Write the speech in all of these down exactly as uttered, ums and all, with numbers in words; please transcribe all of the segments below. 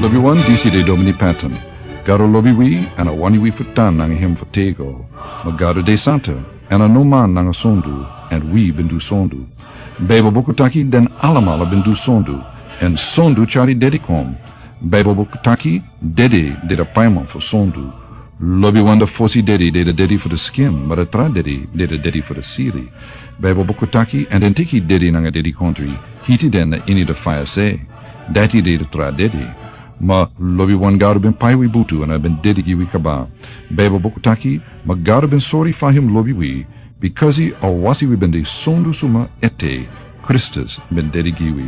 Lobiwan, disi de Domini Patton. Gado lobi wi, èn a wani wi fu tan nanga hem fu tego. Ma Gado de santa, èn a no man nanga sondu, èn wi ben du sondu. Baibel buku taki den alamala ben du sondu, èn sondu tyari dedi kon. Baibel buku taki dedi de a paiman fu sondu. Lobiwan, a fosi dedi de a dedi fu a skin, ma a tra dedi de a dedi fu a siri. Baibel buku taki, èn den teki dedi nanga dedikontri, hiti den na ini a faya se. Dati de a tra dedi. Ma lobiwan, Gado ben pai wi butu èn a ben dedi gi wi kaba. Baibel buku taki, ma Gado ben sori fa hem lobi wi, bikasi a wasi wi ben de sondu suma ete, Kristus ben dedi gi wi.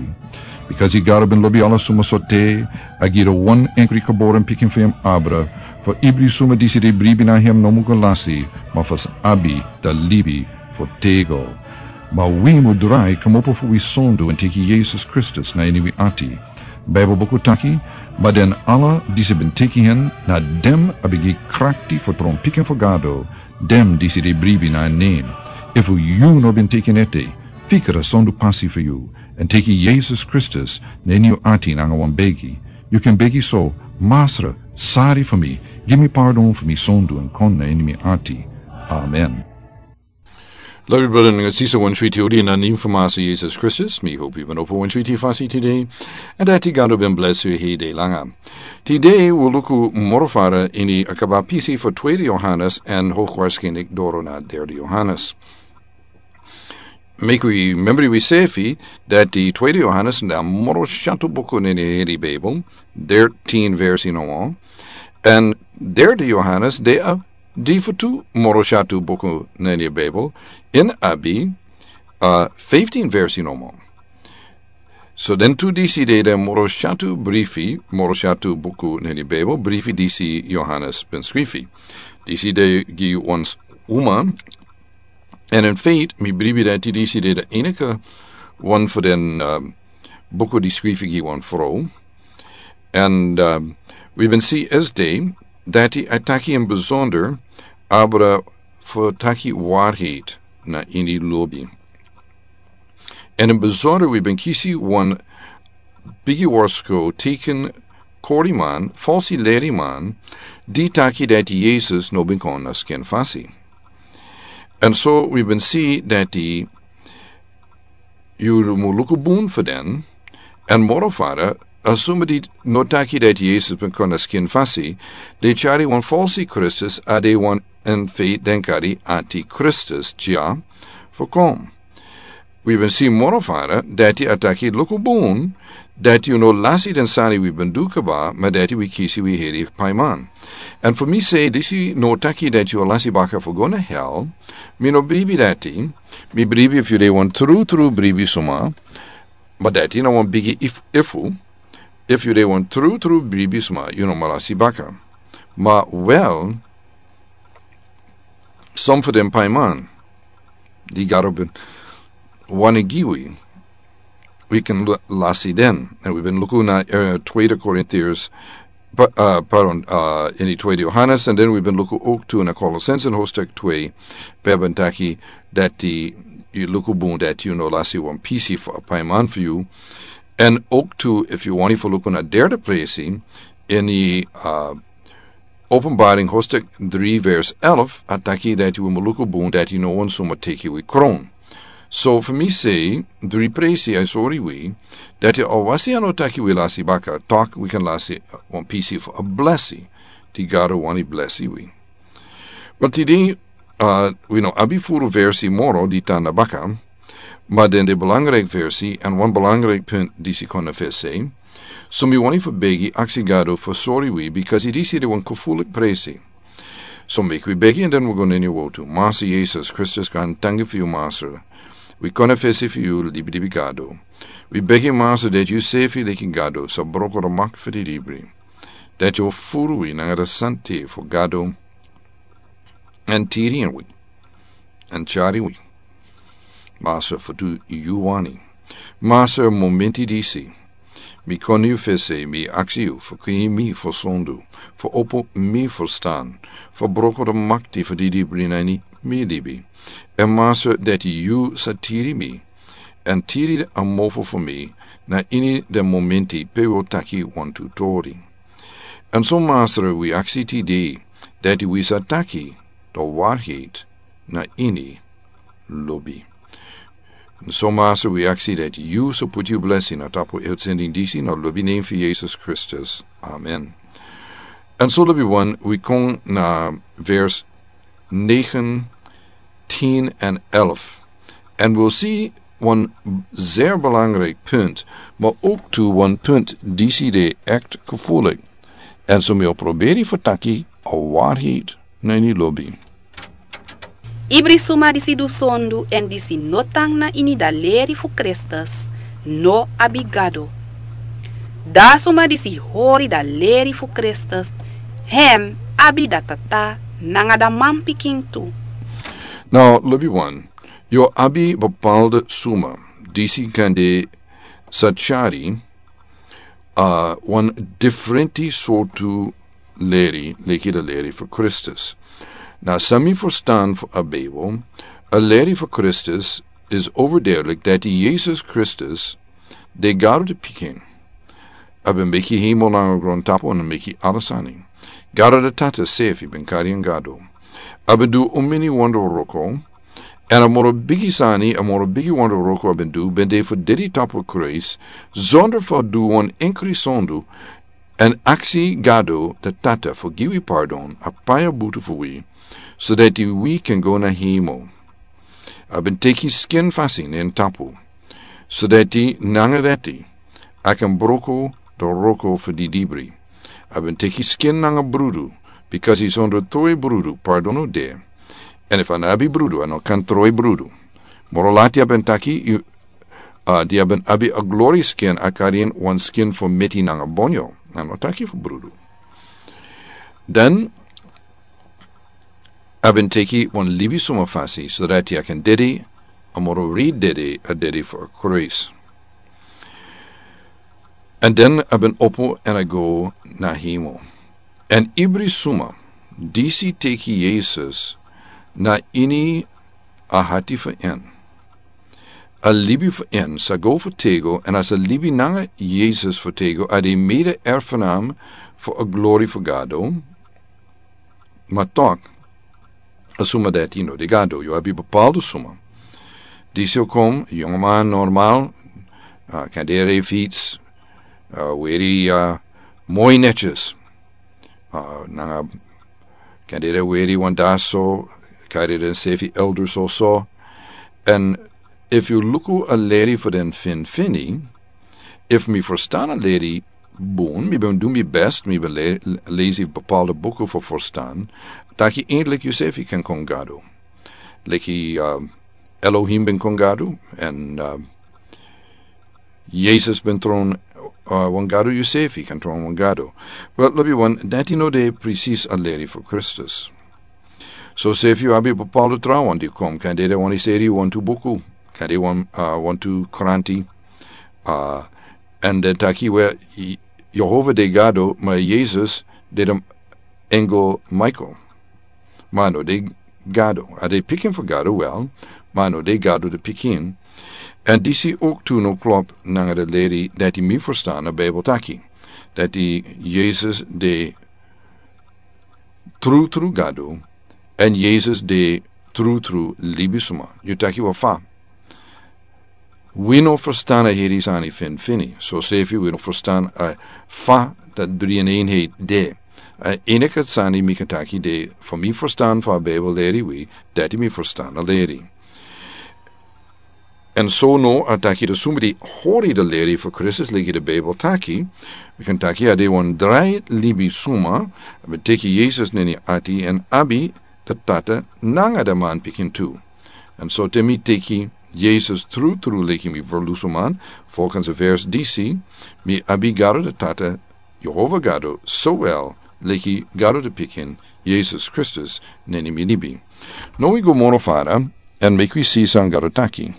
Bikasi Gado ben lobi ala suma sorte, a gi a wan enkri geboren pikin fu hem abra, fu ibri suma disi de bribi na hem no mu go lasi, ma fu sa abi a libi fu tego. Ma wi mu drai kmopo fu wi sondu èn teki Yesus Kristus na ini wi ati. Baibel buku taki, ma den ala disi ben teki hen, na den a ben gi krakti fu tron pikin fu Gado, den disi de bribi na en nen. Efu yu no ben teki en ete, fikra sondu pasi fu yu, èn teki Yesus Kristus na ini yu ati nanga wan begi. Yu kan begi so: Masra, sori fu mi, gi mi pardon fu mi sondu èn kon na ini mi ati. Amen. Lobi brada nanga sisa, wan switi odi na nen fu Masra Yesus Kristus. Mi hopi yu ben opo wan switi fasi tide, èn dati Gado ben blesi yu hede langa. Tide wi luku moro fara ini a kaba pisi fu tweede Yohanes èn hoku warskinlik doro na derde Yohanes. Meki wi memori wi sefi dati tweede Yohanes na moro syatu buku na ini a heri Baibel, dertien versi nomo. Èn derde Yohanes de a difutu moro syatu buku na ini a Baibel, èn a abi, uh, fifteen versi nomo. So den tu disi de den moro syatu brifi, moro syatu buku na ini a Baibel, brifi disi Yohanes ben skrifi. Disi de gi wan s-, uma. Èn in feit, mi bribi dati disi de a enige wan fu den, um, buku di skrifi gi wan frow. Èn, um, wi ben si esde dati a taki in besonder abra fu taki waarheid na ini lobi. Èn in besonder wi ben kisi wan bigi warsko teken koriman, falsi leriman, di taki dati Yesus no ben kon na skin fasi. Èn so wi ben si dati yu mu luku bun fu den, èn moro fara, a suma di no taki dati Yesus ben kon na skin fasi, de tyari wan falsi Kristus, a de wan in feit den kari antikristus dya fu kon. Wi ben si moro fara dati a taki luku bun dati yu no lasi den sani wi ben du kaba, ma dati wi kisi wi heri paiman. Èn fu mi se, disi no taki dati yu lasi baka fu go na hel. Mi no bribi dati. Mi bribi efu yu de wan tru tru bribi suma, ma dati na wan bigi if, efu. Efu yu de wan tru tru bribi suma, yu no mu lasi baka. Ma wel, som fu den paiman di Gado ben wani gi wi, wi kan l-, lasi den. Èn wi ben luku na, eh, tweede Korintiërs, pa-, eh, pardon, eh, ini tweede Yohanes, èn den wi ben luku ook tu na Kolosense hoofdstuk twee, pe a ben taki dati yu luku bun dati yu no lasi wan pisi fu a paiman fu yu. Èn ook tu, efu yu wani fu luku na derde presi, ini, eh, Openbaring hoofdstuk drie vers elf, a taki dati wi mu luku bun dati no wan suma teki wi kron. So fu mi se, dri presi a sori wi dati a wasi a no taki wi lasi baka, tok wi kan lasi wan pisi fu a blesi di Gado wani blesi wi. Ma tide, uh, wi no abi furu versi moro di tan na baka, ma den de belangrijk versi, èn wan belangrijk punt disi kon na fesi. So mi wani fu begi, aksi Gado fu sori wi, bikasi disi de wan gevoelig presi. So meki wi begi èn den wi go na ini a wowtu. Masra Yesus Kristus, gaantangi fu yu, Masra. Wi kon na fesi fu yu, libilibi Gado. Wi begi, Masra, dati yu sefi leki Gado sa broko a makti fu di libri. Dati yu o furu wi nanga a sante fu Gado, èn tiri wi, èn tyari wi, Masra, fu du yu wani. Masra, momenti disi mi kon na yu fesi, mi aksi yu fu krin mi fu sondu, fu opo mi ferstan, fu broko a makti fu di libri na ini mi libi. Èn Masra, dati yu sa tiri mi, èn tiri a mofo fu mi, na ini den momenti pe wi o taki wantu tori. Èn so Masra, wi aksi tide dati wi sa taki den waarheid na ini lobi. Èn so Masra, wi aksi dati yu sa poti yu blesi na tapu uitsending disi na lobi nen fu Yesus Kristus. Amen. Èn so lobi wan wi kon na vers negen, tien en elf. En wi si wan zeer belangrijk punt, maar ook tu wan punt disi de echt gevoelig. En so mi o proberi fu taki a waarheid na ini lobi. Ibri suma disi du sondu èn disi no tan na ini da leri fu Kristus no abi Gado. Da suma disi hori da leri fu Kristus, hem abi da Tata nanga da manpikin tu. Now, lobi wan, yu abi bepaalde suma disi kan de sa tyari a wan diferenti sortu leri leki da leri fu Kristus. Na san mi ferstan fu a Bijbel, a leri fu Kristus is overduidelijk dati Yesus Kristus de Gado de pikin. A ben meki hemel nanga grontapu, a ben meki ala sani. Gado de Tata srefi ben kari en Gado. A ben du un mini wonderwroko. Èn a moro bigi sani, a moro bigi wonderwroko a ben du, ben de fu dede tapu Christ, zonder fu du wan enkri sondu, èn aksi Gado de Tata fu gi wi pardon, a pai a butu fu wi, so dati wi kan go na hemel. A ben teki skin fasi na en tapu, so dati nanga dati a kan broko da wroko fu didibri. A ben teki skin nanga brudu, bikasi sonder trowe brudu pardon no de. Èn efu a no abi brudu, a no kan trowe brudu. Moro lati a ben taki, yu, a, di a ben abi a glori skin, a kari en wan skin fu meti nanga bonyo. A no taki fu brudu. Dan a ben teki wan libisuma fasi, so dati a kan dede, a moro writi dede, a dede fu a kruis. Èn dan a ben opo èn a go na hemel. Èn ibri suma disi teki Yesus na ini a ati fu en, a libi fu en sa go fu tego, èn a sa libi nanga Yesus fu tego, a de mede erfgenaam fu a glori fu Gado. Ma tok, a suma dati no de Gado, yu abi bepaalde suma. Disi o kon, yongu man normal, a, kan de rij fiets, a, weri, a, moi netjes. A, nanga kan de rij weri wan daso, kari den srefi elders oso. Èn efu yu luku a leri fu den finfini, efu mi ferstan a leri bun, mi ben du mi best, mi ben le-, lesi bepaalde buku fu ferstan, taki eindelijk yu srefi kan kon Gado. Leki, a, Elohim ben kon Gado, èn, a, Yesus ben tron, a, wan Gado, yu srefi kan tron wan Gado. Wel, lobi wan, dati no de precies a leri fu Kristus. So srefi yu abi bepaalde trawan di kon, kan de den wani seri wantu buku, kan de wan, a, wantu kranti, a, èn den taki we, Ye-, Yehova de Gado, ma Yesus de den engel Michael. Ma a no de Gado. A de pikin fu Gado wel, ma a no de Gado de pikin. Èn disi ook tu no klop nanga de leri dati mi ferstan a Bijbel taki. Dati Yesus de trutru Gado, èn Yesus de trutru libisuma. Yu taki we fa. Wi no ferstan a heri sani finfini. So srefi wi no ferstan a fa dati drie in eenheid de. A enige sani mi kan taki de, fu mi ferstan fu a Bijbel leri wi, dati mi ferstan a leri. Èn so no a taki de suma di hori de leri fu Kristus leki de Bijbel taki, mi kan taki a de wan drai libisuma, a ben teki Yesus na en ati èn abi de Tata nanga de manpikin tu. Èn so te mi teki Yesus trutru leki mi ferlusuman, volgens a vers disi, mi abi Gado de Tata, Yehova Gado, sowel leki Gado de pikin, Yesus Kristus, na ini mi libi. No wi go moro fara, èn meki wi si san Gado taki.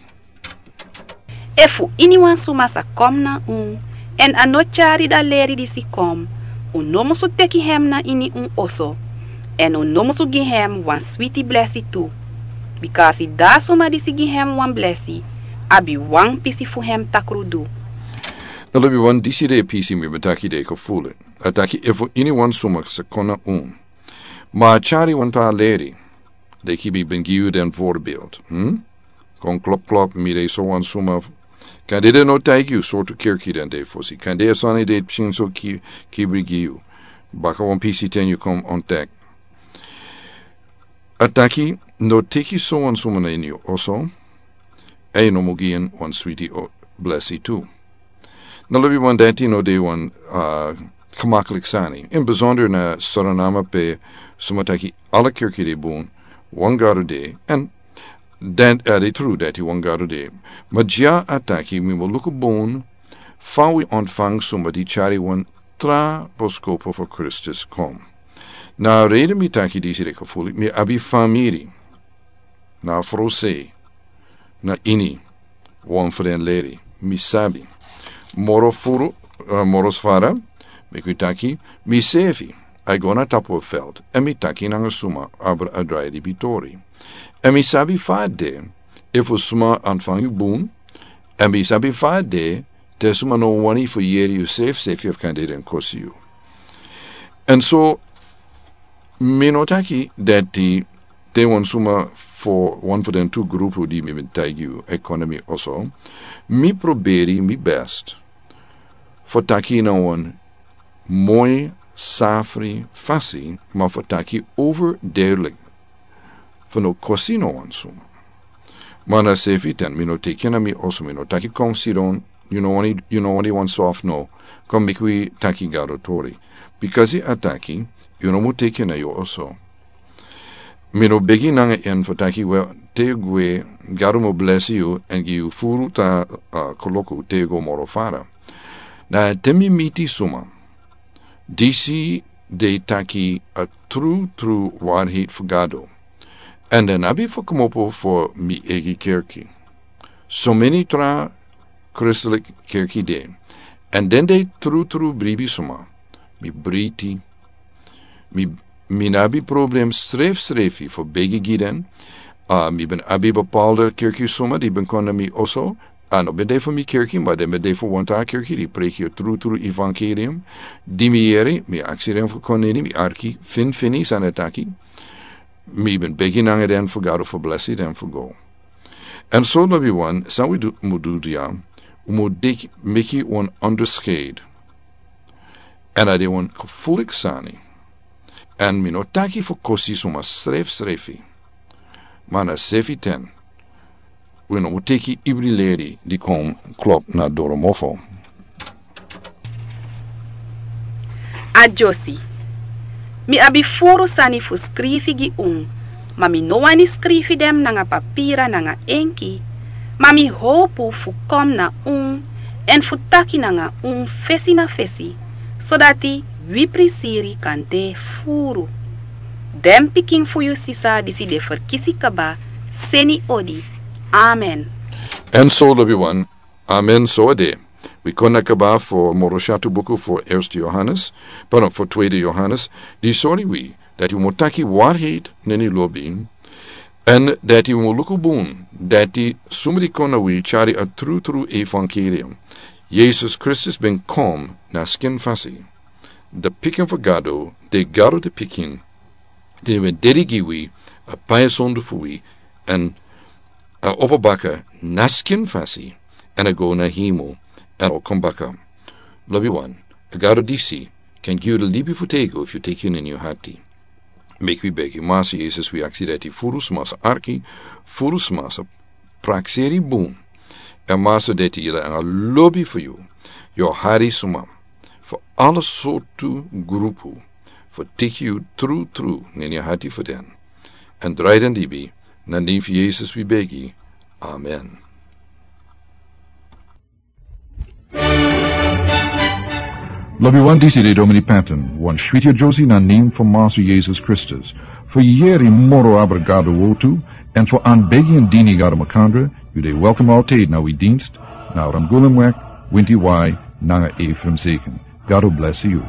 Efu iniwan suma sa kon na un, èn a no tyari da leri disi kon, un no musu teki hem na ini un oso, èn un no musu gi hem wan switi blesi tu. Bikasi da suma disi gi hem wan blesi, abi wan pisi fu hem takrudu. Lobi wan, disi de pisi mi ben taki de ko fuli. A taki efu ini wan suma sa kon na un, ma a tyari wan tra leri, de ki mi ben gi yu den voorbeeld, hm? Kon klop klop, mi de so wan suma. Kan de de no taigi yu sortu kerki den de fosi. Kan de a sani de pikin so ki, kibri gi yu. Baka wan pisi ten yu kon ontdek. A taki, no teki so wan suma na ini yu oso, èn yu no mu gi en wan switi o blesi tu. Na lobi wan, dati no de wan, ah, gemaklik sani. In bijzonder na Suriname pe suma taki ala kerki de bun, wan Gado de, èn dan, ah, de tru dati wan Gado de. Ma dya a taki mi mu luku bun fa wi ontfang suma di tyari wan tra boskopu fu Kristus kon. Na rede mi taki disi de ko fuli, mi abi famiri na frow sei na ini wan fu den leri, mi sabi. Moro furu, eh, moro sfara, meki wi taki, mi sefi, a e go na tapu a veld, èn mi taki nanga suma, abra a drai di bitori. Èn mi sabi fa a de, efu suma ontfang yu bun, èn mi sabi fa a de, te suma no wani fu yeri yu sefi, sefi efu kan de den kosi yu. Èn so, mi no taki dati te wan suma fu wan fu den tu grupu di mi ben taigi yu e kon na mi oso, mi proberi mi best fu taki na wan moi safri fasi, ma fu taki overduidelijk fu no kosi no wan suma. Ma na sefi ten, mi no teki na mi oso, mi no taki kon sidon, yu no wani, yu no wani wan soft no, kon meki wi taki Gado tori. Bikasi a taki, yu no mu teki na yu oso. Mi no begi nanga en fu taki we, te yu gwe, Gado mu blesi yu, èn gi yu furu ta, ah, koloku te yu go moro fara. Na te mi miti suma, disi de taki a tru tru waarheid fu Gado. Èn den abi fu kmopo fu mi eigi kerki. So meni tra Christelijk kerki de. Èn den de tru tru bribi suma. Mi briti. Mi, mi no abi problem srefsrefi fu begi gi den. Ah, mi ben abi bepaalde kerki suma di ben kon na mi oso. A no ben de fu mi kerki, ma den ben de fu wan tra kerki di preki a tru tru evangelium. Di mi yere, mi aksi den fu kon ini mi arki, fin fini san a taki. Mi ben begi nanga den fu Gado fu blesi den fu go. Èn so lobi wan, san wi du, mu du dya, wi mu deki, meki wan onderscheid. Èn a de wan gevoelig sani. Èn mi no taki fu kosi suma srefsrefi. Ma na sefi ten. Wi no mu teki ibri leri di kon klop na doro mofo. A dyosi. Mi abi furu sani fu skrifi gi un, ma mi no wani skrifi den nanga papira nanga enki, ma mi howpu fu kon na un, èn fu taki nanga un fesi na fesi, sodati wi prisiri kan de furu. Den pikin fu yu sisa disi de ferkisi kaba, seni odi. Amen. Èn so lobi wan, amen so a de. Wi kon na kaba fu moro syatu buku fu Eerste Johannes, pardon, fu Tweede Johannes, di sori wi, dati wi mu taki waarheid na ini lobi, èn dati wi mu luku bun, dati suma di kon na wi tyari a tru tru evangelium. Yesus Kristus ben kon na skin fasi. De pikin fu Gado, de Gado de pikin, di ben dede gi wi, a pai sondu fu wi, èn a opo baka na skin fasi, èn a go na hemel, èn a o kon baka. Lobi wan, a Gado disi, kan gi yu de libi fu tego efu yu teki en ini yu hati. Meki wi begi, Masa Yesus, wi aksi dati furu sma sa arki, furu sma sa prakseri bun. Èn Masa, dati yu de nanga lobi fu yu, yu o hari sma fu ala sortu grupu fu teki yu tru tru na ini yu hati fu den. Èn drai den libi, na nen fu Yesus wi begi. Amen. Lobi wan, disi de Domini Patton, wan switi a dyosi na nen fu Masa Yesus Kristus. Fu yeri moro abra Gado wortu, èn fu anbegi en dini Gado makandra, yu de welkom altijd na wi dienst, na Ramgulumweg, Winti Wai, nanga Ephraim Zeken. Gado blesi yu.